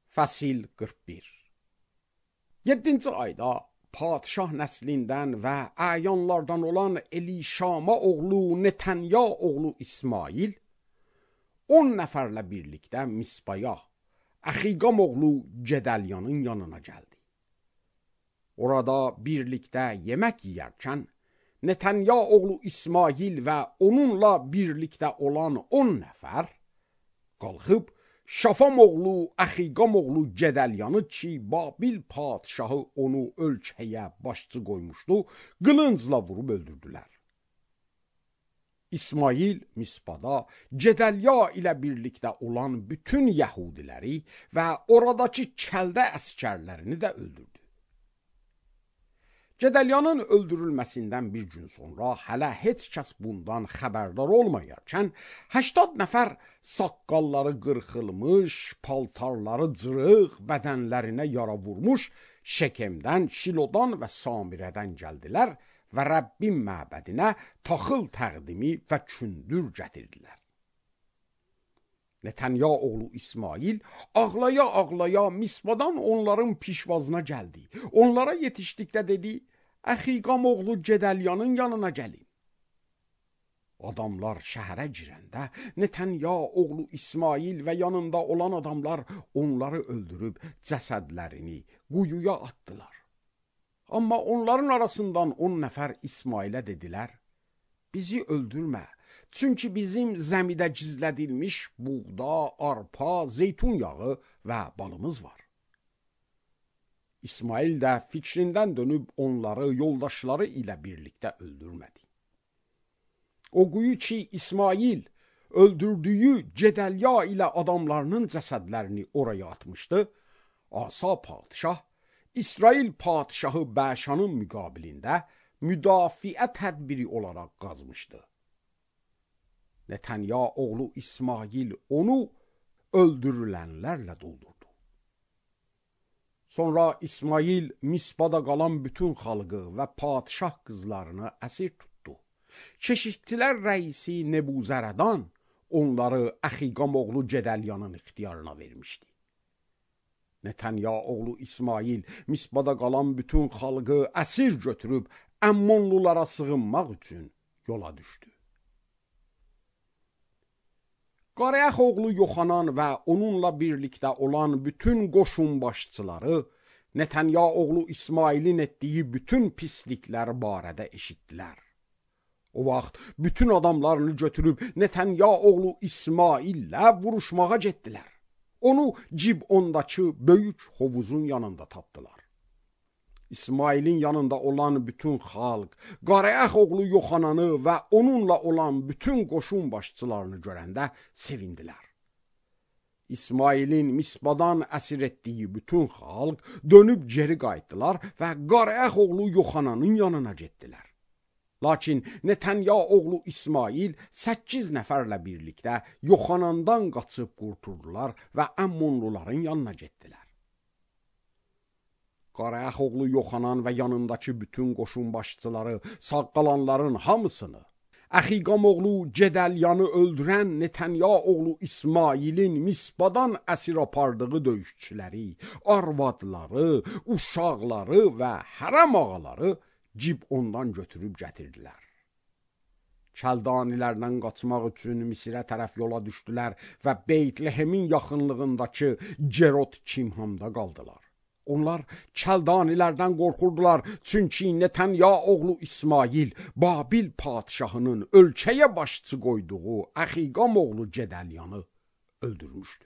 Fəsil 41. 7-ci ayda padşah nəslindən və əyanlardan olan Elişama oğlu Netanya oğlu İsmail 10 nəfərlə birlikdə Misbaya, Əxiqam oğlu Gedəlyanın yanına gəldi. Orada birlikdə yemək yeyərkən Netanya oğlu İsmail və onunla birlikdə olan 10 nəfər qalxıb Şafam oğlu Əxiqam oğlu Gedəlyanı ki, Babil padşahı onu ölkəyə başçı qoymuşdu, qılıncla vurub öldürdülər. İsmail Misbada Gedəlya ilə birlikdə olan bütün Yəhudiləri və oradakı kəldə əskərlərini də öldürdü. Gedəlyanın öldürülməsindən bir gün sonra hələ heç kəs bundan xəbərdar olmayarkən 80 nəfər saqqalları qırxılmış, paltarları cırıq, bədənlərinə yara vurmuş Şekemdən, Şilodan və Samirədən gəldilər və Rəbbin məbədinə taxıl təqdimi və kündür gətirdilər. Netanya oğlu İsmail ağlaya-ağlaya Misbadan onların pişvazına gəldi. Onlara yetişdikdə dedi, Əxiqam oğlu Gedəlyanın yanına gəlin. Adamlar şəhərə girəndə Netanya oğlu İsmail və yanında olan adamlar onları öldürüb cəsədlərini quyuya atdılar. Amma onların arasından 10 nəfər İsmailə dedilər, bizi öldürmə. Çünki bizim zəmidə gizlədilmiş buğda, arpa, zeytun yağı və balımız var. İsmail də fikrindən dönüb onları yoldaşları ilə birlikdə öldürmədi. O quyu ki, İsmail öldürdüyü Gedəlya ilə adamlarının cəsədlərini oraya atmışdı, Asa padşah, İsrail padşahı Bəşanın müqabilində müdafiə tədbiri olaraq qazmışdı. Netanya oğlu İsmail onu öldürülənlərlə doldurdu. Sonra İsmail Misbada qalan bütün xalqı və padşah qızlarını əsir tutdu. Keşikçilər rəisi Nebuzərədan onları Əxiqam oğlu Gedəlyanın ixtiyarına vermişdi. Netanya oğlu İsmail Misbada qalan bütün xalqı əsir götürüb Əmmonlulara sığınmaq üçün yola düşdü. Qareax oğlu Yoxanan və onunla birlikdə olan bütün qoşun başçıları Netanya oğlu İsmailin etdiyi bütün pisliklər barədə eşitdilər. O vaxt bütün adamlarını götürüb Netanya oğlu İsmaillə vuruşmağa getdilər. Onu Cibondakı böyük hovuzun yanında tapdılar. İsmailin yanında olan bütün xalq, Qareax oğlu Yoxananı və onunla olan bütün qoşun başçılarını görəndə sevindilər. İsmailin Misbadan əsir etdiyi bütün xalq dönüb geri qayıtdılar və Qareax oğlu Yoxananın yanına getdilər. Lakin Netanya oğlu İsmail 8 nəfərlə birlikdə Yoxanandan qaçıb qurtuldular və Əmmonluların yanına getdilər. Qareax oğlu Yoxanan və yanındakı bütün qoşun başçıları sağ qalanların hamısını, Əxiqam oğlu Gedəlyanı öldürən Netanya oğlu İsmailin Misbadan əsir apardığı döyüşçüləri, arvadları, uşaqları və hərəm ağaları Cibondan götürüb gətirdilər. Kəldanilərdən qaçmaq üçün Misirə tərəf yola düşdülər və Beytlehemin yaxınlığındakı Cerot Kimhamda qaldılar. Onlar kəldanilərdən qorxurdular, çünki Netanya oğlu İsmail Babil padşahının ölkəyə başçı qoyduğu Əxiqam oğlu Gedəlyanı öldürmüşdü.